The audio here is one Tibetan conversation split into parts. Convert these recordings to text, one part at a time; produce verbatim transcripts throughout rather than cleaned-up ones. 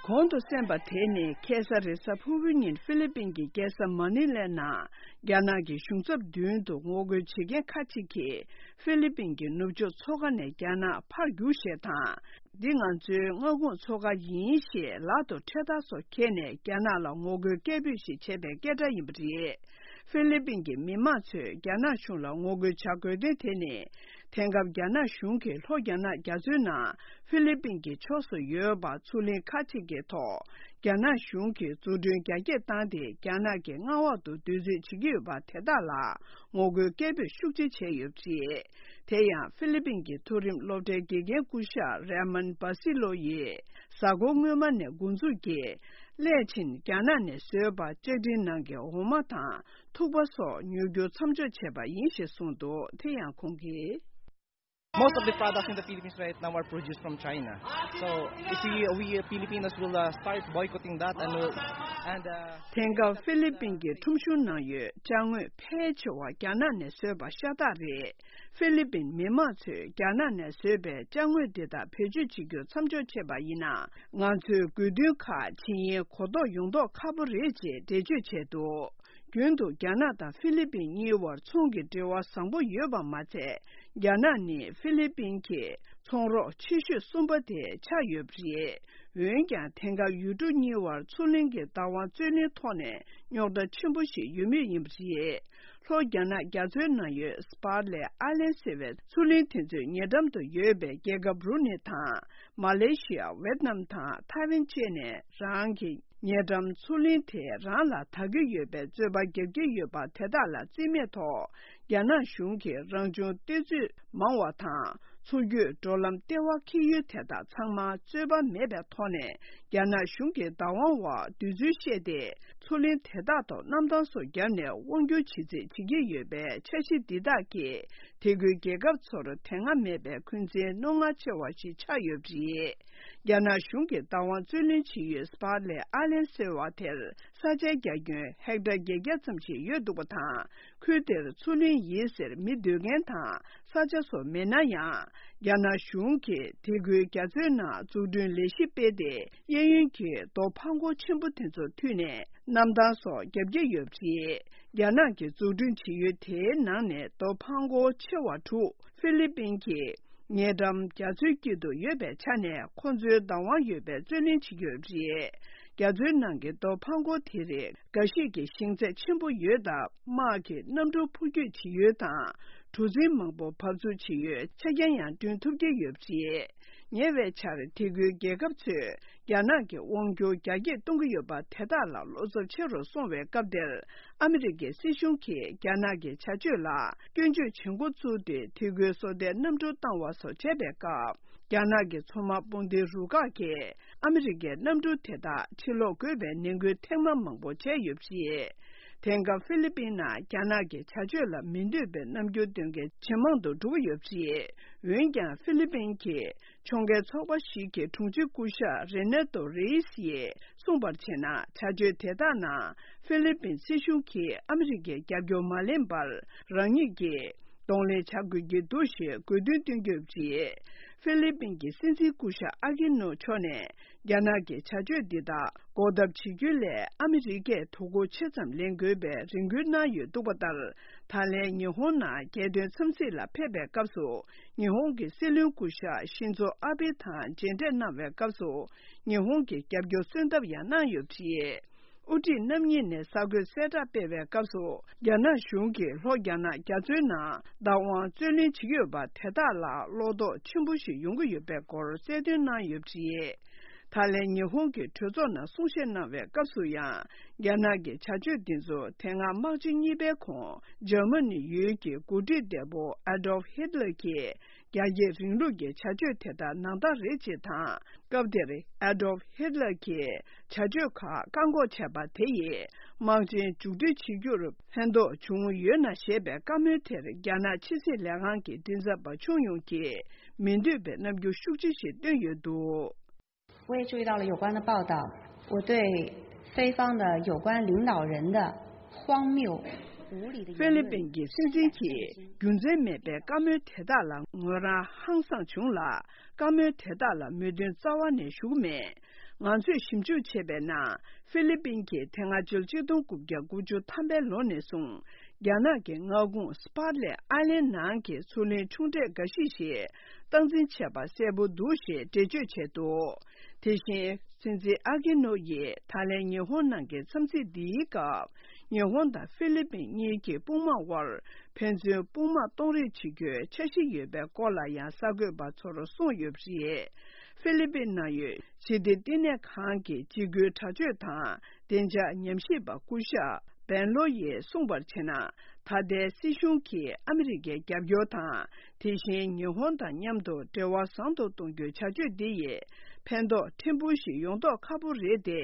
གོང་དུ་གསན་པ་དེ་ནི་ཁ་སང་རེས་གཟའ་ཕུར་བུའི་ཉིན་ཧྥི་ལི་པིན་གྱི་རྒྱལ་ས་མ་ནི་ལའི་ནང་རྒྱ་ནག་གི་གཞུང་ཚབ་མདུན་དུ་ངོ་རྒོལ་བྱེད་མཁན་ཁག་ཅིག་གིས་ཧྥི་ལི་པིན་གྱི་ནུབ་ཕྱོགས་མཚོ་ཁ་ནས་རྒྱ་ནག་ཕར་རྒྱུགས་ཞེས་དང་། འདི་ང་ཚོའི་མངའ་ཁོངས་མཚོ་ཁ་ཡིན་ཞེས་ལག་ཏུ་ཁྲལ་དར་སོགས་འཁྱེར་ནས་རྒྱ་ནག་ལ་ངོ་རྒོལ་སྐད་འབོད་ཞིག་བྱས་པའི་སྐད་སྒྲ་ཡིན་པ་རེད། ཧྥི་ལི་པིན་གྱི་མི་མང་ཚོས་རྒྱ་ནག་གཞུང་ལ་ངོ་རྒོལ་བྱ་དགོས་དོན་དེ་ནི། དེང་སྐབས་རྒྱ་ནག་གཞུང་གིས་ལྷོ་རྒྱ་ནག་རྒྱ་མཚོའི་ནང་ཧྥི་ལི་པིན་གྱི་ཕྱོགས་སུ་ཡོད་པ་མཚོ་གླིང་ཁག་ཅིག་གི་ཐོག་རྒྱ་ནག་གཞུང་གིས་འཛུགས་སྐྲུན་རྒྱ་སྐྱེད་བཏང་སྟེ། རྒྱ་ནག་གི་མངའ་འོག་ཏུ་བསྡུ་རྩིས་བྱེད་ཀྱི་ཡོད་པ་དེ་དག་ལ་ངོ་རྒོལ་སྐད་འབོད་ཤུགས་ཆེ་བྱས་ཡོད་པ་རེད། དེ་ཡང་ཧྥི་ལི་པིན་གྱི་མཐོ་རིམ་སློབ་གྲྭའི་དགེ་རྒན་སྐུ་ཞབས་རེ་མན་པ་སི་ལོ་ཡིས། གཟའ་འཁོར་སྔོན་མ་ནས་འགོ་འཛུགས་ཀྱིས། སླད་ཕྱིན་རྒྱ་ནག་ནས་བཟོས་པ་ལྕགས་ཀྲིན་ནང་གི་འོ་མ་དང་ཐུག་པ་སོགས་ཉོ་རྒྱུ་མཚམས་འཇོག་བྱས་པ་ཡིན་ཞེས་གསུངས་འདུག་དེ་ཡང་ཁོང་གིས། Most of the products in the Philippines right now are produced from China. So if we, we Filipinos will uh, start boycotting that and will and uh, དེང་སྐབས་ཧྥི་ལི་པིན་གྱི་ཁྲོམ་གཞུང་ནང་ཡོད་ཅ་དངོས་ཕལ་ཆེ་བ་རྒྱ་ནག་ནས་བཟོས་པ་ཤ་སྟག་རེད། ཧྥི་ལི་པིན་མི་མང་ཚོས་རྒྱ་ནག་ནས་བཟོས་པའི་ཅ་དངོས་འདི་དག་བེད་སྤྱོད་བྱེད་རྒྱུ་མཚམས་འཇོག་བྱས་པ་ཡིན་ན། ང་ཚོའི་དགོས་འདུན་ཁག་ཇི་ཡིན་གོ་རྟོགས་ཡོང་མདོག་ཁ་པོ་རེད་ཅེས་འགྲེལ་བརྗོད་བྱས་འདུག་རྒྱུན་དུ་རྒྱ་ནག་དང་ཧྥི་ལི་པིན་གཉིས་བར་ཚོང་གི་འབྲེལ་བ་བཟང་པོ་ཡོད་པ་མ་ཚད། རྒྱ་ནག་ནི་ཧྥི་ལི་པིན་གྱི་ཚོང་རོགས་ཆེ་ཤོས་གསུམ་པ་དེ་ཆགས་ཡོད་པ་རེད། འོན་ཀྱང་དེང་སྐབས་ཡུལ་གྲུ་གཉིས་བར་མཚོ་གླིང་གི་བདག་དབང་རྩོད་གླེང་ཐོག་ནས་རྙོག་དྲ་ཆེན་པོ་ཞིག་ཡོད་མུས་ཡིན་པ་རེད། ལྷོ་རྒྱ་ནག་རྒྱ་མཚོའི་ནང་ཡོད་སྤར་ལེ་ཨ་ལན་ཟེར་བའི་མཚོ་གླིང་དེ་ཚོའི་ཉེ་འགྲམ་དུ་ཡོད་པའི་རྒྱལ་ཁབ་བྷུ་རུ་ནེ་དང་མ་ལེ་ཤི་ཡ། ཝེད་ནམ་དང་ཐའེ་ཝན་བཅས་ནས་རང་གི་ཉེ་འགྲམ་མཚོ་གླིང་དེ་རང་ལ་བདག་གི་ཡོད་པའི་རྩོད་པ་རྒྱག་གི་ཡོད་པ་དེ་དག་ལ་རྩིས་མེད་ཐོག་རྒྱ་ནག་གཞུང་གིས་རང་བྱུང་གཏེར་མཛོད་མང་བ་དང་། མཚོ་བརྒྱུད་འགྲོ་ལམ་ལྟེ་བ་འཁེལ་ཡུལ་དེ་དག་ཚང་མ་རྩོད་པ་མེད་པའི་ཐོག་ནས་རྒྱ་ནག་གཞུང་གི་བདག་དབང་འོག་བསྡུ་ཚུལ་བཤད་དེ། མཚོ་གླིང་དེ་དག་ཐོག་གནམ་ཐང་སོགས་བརྒྱབ་ནས་དབང་སྒྱུར་བྱེད་རྩིས་བྱེད་ཀྱི་ཡོད་པའི་འཆར་གཞི་འདི་དག་གིས། དེ་ཁུལ་རྒྱལ་ཁབ་ཚོར་དེ་སྔ་མེད་པའི་འཁོན་འཛིན་རྣོ་ངར་ཆེ་བ་ཞིག་ཆགས་ཡོད་པ་རེད། རྒྱ་ནག་གཞུང་གི་བདག་དབང་རྩོད་ལེན་བྱེད་ཡུལ་སྤར་ལེ་ཨ་ལན་ཟེར་བ་དེར་ས་ཆའི་རྒྱ་ཁྱོན་ཧེག་ཊར་བརྒྱད་བརྒྱ་ཙམ་ཞིག་ཡོད་འདུག་པ་དང་། ཁུལ་དེར་མཚོ་གླིང་ཡིན་ཟེར་མི་སྡོད་མཁན་དང་ས་ཆ་སོགས་མེད་ན་ཡང་། རྒྱ་ནག་གཞུང་གིས་དེ་ཁུལ་རྒྱ་མཚོའི་ནང་འཛུགས་སྐྲུན་ལས་གཞི་སྤེལ་ཏེ། གཡས་གཡོན་གྱི་རྡོ་འཕང་འཁོར་ཆེན་པོ་དེ་ཚོ་མཐུད་ནས་གནམ་ཐང་སོགས་བརྒྱབ་ཀྱི་ཡོད་པ་རེད། རྒྱ་ནག་གིས་འཛུགས་སྐྲུན་བྱེད་ཡུལ་དེའི་ནང་ནས་རྡོ་འཕང་འཁོར་ཆེ་བ་དྲུག་ཧྥི་ལི་པིན་གྱི་ཉེ་འགྲམ་རྒྱ་མཚོའི་དཀྱིལ་དུ་ཡོད་པའི་ཆ་ནས་ཁོ་ཚོའི་བདག་དབང་ཡོད་པའི་རྩོད་ལེན་བྱེད་ཀྱི་ཡོད་པ་རེད། རྒྱ་མཚོའི་ནང་གི་རྡོ་འཕང་འཁོར་དེ་རིགས་འགའ་ཞིག་གི་ཞེང་ཚད་ཆེན་པོ་ཡོད་སྟབས། དམག་གི་གནམ་གྲུ་འཕུར་སྐྱོད་བྱེད་ཡུལ་དང་། གྲུ་གཟིངས་མང་པོ་བབས་ཚུགས་བྱེད་ཡུལ་ཆ་རྐྱེན་ཡང་བསྐྲུན་ཐུབ་ཀྱི་ཡོད་པ་རེད། ཉེ་བའི་ཆར་དེ་ཁུལ་རྒྱལ་ཁབ་ཚོས་རྒྱ་ནག་གི་དབང་སྒྱུར་རྒྱ་སྐྱེད་གཏོང་གི་ཡོད་པ་དེ་དག་ལ་བློ་འཚབ་ཆེ་རུ་སོང་བའི་སྐབས་དེར། ཨ་མི་རི་ཀའི་སྲིད་གཞུང་གིས་རྒྱ་ནག་གི་བྱ་སྤྱོད་ལ་སྐྱོན་བརྗོད་བྱེད་འགོ་བཙུགས་ཏེ། དེ་ཁུལ་སོ་ལྟའི་གནམ་གྲུ་བཏང་བ་སོགས་བྱས་པའི་སྐབས། རྒྱ་ནག་གི་མཚོ་དམག་དཔུང་སྡེའི་རུ་ཁག་གིས་ཨ་མི་རི་ཀའི་གནམ་གྲུ་དེ་དག་ཕྱིར་ལོག་དགོས་པའི་ནན་སྐུལ་ཐེངས་མ་མང་པོ་བྱས་ཡོད་པ་རེད། དེང་སྐབས་ཧྥི་ལི་པིན་ནང་རྒྱ་ནག་གི་བྱ་སྤྱོད་ལ་མི་འདོད་པའི་རྣམ་འགྱུར་སྟོན་མཁན་ཇེ་མང་དུ་འགྲོ་གི་ཡོད་པ་རེད། འོན་ཀྱང་ཧྥི་ལི་པིན་གྱི་ཕྱོགས་འགལ་ཚོགས་པ་ཞིག་གི་དྲུང་ཆེ་སྐུ་ཞབས་རེ་ནེ་ཏོ་རེ་ཡིས་ཡིས་གསུངས་པར་བྱས་ན། བྱ་སྤྱོད་དེ་དག་ནང་ཧྥི་ལི་པིན་སྲིད་གཞུང་གིས་ཨ་མི་རི་ཀའི་རྒྱབ་སྐྱོར་མ་ལེན་པར་རང་ཉིད་ཀྱིས་གདོང་ལེན་བྱ་དགོས་ཀྱི་འདུག་ཞེས་དགོས་འདུན་བཏོན་གྱི་ཡོད་པ་རེད། ཧྥི་ལི་པིན་གྱི་སྲིད་འཛིན་སྐུ་ཞབས་ཨ་ཀི་ནོ་མཆོག་ནས། རྒྱ་ནག་གི་བྱ་སྤྱོད་འདི་དག་འགོག་ཐབས་བྱེད་རྒྱུ་ལས་ཨ་མི་རི་ཀས་དོ་ཁུར་ཆེ་ཙམ་ལེན་དགོས་པའི་རེ་སྐུལ་གནང་ཡོད་འདུག་པ་ལྟར། ད་ལན་ཉི་ཧོང་ནང་རྒྱལ་དོན་འཚམས་གཟིགས་ལ་ཕེབས་པའི་སྐབས་སུ། ཉི་ཧོང་གི་སྲིད་བློན་སྐུ་ཞབས་ཤིན་ཛོ་ཨ་བྷེ་དང་མཇལ་འཕྲད་གནང་བའི་སྐབས་སུ། ཉི་ཧོང་གི་རྒྱབ་སྐྱོར་གསོལ་འདེབས་ཡང་གནང་ཡོད་པ་རེད། དབུ་ཁྲིད་རྣམ་གཉིས་ནས་གསར་འགོད་གསལ་བསྒྲགས་སྤེལ་བའི་སྐབས་སུ། རྒྱ་ནག་གཞུང་གིས་ལྷོ་རྒྱ་ནག་རྒྱ་མཚོའི་ནང་བདག་དབང་རྩོད་ལེན་བྱེད་ཀྱི་ཡོད་པ་དེ་དག་ལ་བློ་དོགས་ཆེན་པོ་ཞིག་ཡོང་གི་ཡོད་པའི་སྐོར་གསལ་སྟོན་གནང་ཡོད་པ་རེད། ད་ལན་ཉི་ཧོང་གི་གྲོས་ཚོགས་ནང་གསུང་བཤད་གནང་བའི་སྐབས་སུ་ཡང་། རྒྱ་ནག་གི་བྱ་སྤྱོད་འདི་ཚོ་དེ་སྔ་དམག་ཆེན་གཉིས་པའི་གོང་འཇར་མ་ནི་ཡུལ་གྱི་འགོ་ཁྲིད་འདས་པོ་ཨ་ཌོལཕ་ཧིད་ལར་གྱིས། རྒྱ་སྐྱེད་རིང་ལུགས་ཀྱི་བྱ་སྤྱོད་དེ་དག་ནང་རྟགས་རེད་ཅེས་དང་། སྐབས་དེར་ཨ་ཌོལཕ་ཧིད་ལར་གྱི་བྱ་སྤྱོད་ཁག་བཀག་འགོག་བྱས་པ་དེ་ཡིས་དམག་ཆེན་མཇུག་སྒྲིལ་བྱེད་རྒྱུར་ཕན་ཐོགས་བྱུང་ཡོད་ན་ཞེས་པའི་བཀའ་མོལ་དེར། རྒྱ་ནག་ཕྱི་སྲིད་ལས་ཁང་གི་མགྲིན་ཚབ་པ་ཆུང་ཡུང་གིས་མི་འདོད་པའི་རྣམ་འགྱུར་ཤུགས་ཆེ་ཞིག་བཏོན་ཡོད་འདུག། 我也注意到了有关的报道，我对非方的有关领导人的荒谬、无理的言论。 ཧྥི་ལི་པིན་གྱི་སྲིད་འཛིན་གྱིས་རྒྱུ་མཚན་མེད་པའི་བཀའ་མོལ་དེ་དག་ལ་ངོས་རང་ཧང་སངས་བྱུང་ལ། བཀའ་མོལ་དེ་དག་ལ་མོས་མཐུན་རྩ་བ་ནས་ཞུ་གི་མེད། ང་ཚོས་ཞིབ་འཇུག་བྱས་པའི་ནང་། ཧྥི་ལི་པིན་གྱིས་དེ་སྔ་ཕྱི་ལོ་ཆིག་སྟོང་དགུ་བརྒྱ་དགུ་བཅུ་ཐམ་པའི་ལོ་ནས་བཟུང་། རྒྱ་ནག་གི་མངའ་ཁོངས་སྤར་ལེ་ཨའི་ལན་ནང་གི་མཚོ་གླིང་ཆུང་གྲས་འགའ་ཞིག་ཞིག་སྟངས་འཛིན་བྱས་པ་གསལ་པོ་འདུག་ཞེས་འགྲེལ་བརྗོད་བྱས་འདུག་དེ་བཞིན། སྲིད་འཛིན་ཨ་ཀི་ནོ་ཡིས་ད་ལན་ཉི་ཧོང་ནང་གི་འཚམས་གཟིགས་འདིའི་སྐབས། ཉི་ཧོང་དང་ཧྥི་ལི་པིན་གཉིས་ཀྱི་དཔུང་དམག་དབར་ཕན་ཚུན་དཔུང་དམག་གཏོང་རེས་བྱེད་རྒྱུའི་འཆར་གཞི་ཡོད་པའི་སྐོར་ལ་ཡང་གསར་འགོད་པ་ཚོར་གསུངས་ཡོད་པ་རེད། ཧྥི་ལི་པིན་ནང་ཡོད་ཞི་བདེ་བསྟི་གནས་ཁང་གི་འཇིགས་སྐུལ་དྲག་སྤྱོད་དང་བདེ་འཇགས་ཉམས་ཞིབ་པ་སྐུ་ཞབས་བན་ལོ་ཡིས་གསུངས་པར་བྱས་ན། ད་ལྟའི་སྲིད་གཞུང་གིས་ཨ་མི་རི་ཀའི་རྒྱབ་སྐྱོར་དང་། དེ་བཞིན་ཉི་ཧོང་དང་མཉམ་དུ་འབྲེལ་བ་བཟང་དུ་གཏོང་རྒྱུའི་བྱ་སྤྱོད་འདི་ཡིས་ཕན་ཐོགས་ཕྲན་བུ་ཞིག་ཡོང་མདོག་ཁ་པོ་རེད་དེ།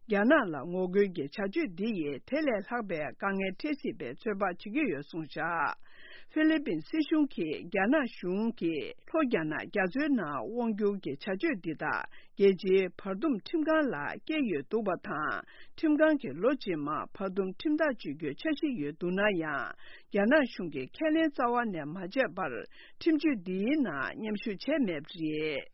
རྒྱ་ནག་ལ་ངོ་རྒོལ་གྱི་བྱ་སྤྱོད་འདི་ཡིས་དེ་ལས་ལྷག་པའི་དཀའ་ངལ་འཕྲད་སྲིད་པའི་ཚོད་དཔག་བྱེད་ཀྱི་ཡོད་གསུངས་བཞག་ཧྥི་ལི་པིན་སྲིད་གཞུང་གིས་རྒྱ་ནག་གཞུང་གིས་ལྷོ་རྒྱ་ནག་རྒྱ་མཚོའི་ནང་དབང་བསྒྱུར་གྱི་བྱ་སྤྱོད་འདི་དག་རྒྱལ་སྤྱིའི་བར་འདུམ་ཁྲིམས་ཁང་ལ་བསྐྱལ་ཡོད་འདུག་པ་དང་། ཁྲིམས་ཁང་གིས་ལོ་རྗེས་མར་བར་འདུམ་ཁྲིམས་ཐག་གཅོད་རྒྱུའི་འཆར་གཞི་ཡོད་འདུག་ན་ཡང་། རྒྱ་ནག་གཞུང་གིས་ཁས་ལེན་རྩ་བ་ནས་མ་བྱས་པར། ཁྲིམས་གཅོད་འདིའི་ནང་མཉམ་ཞུགས་བྱས་མེད་པ་རེད།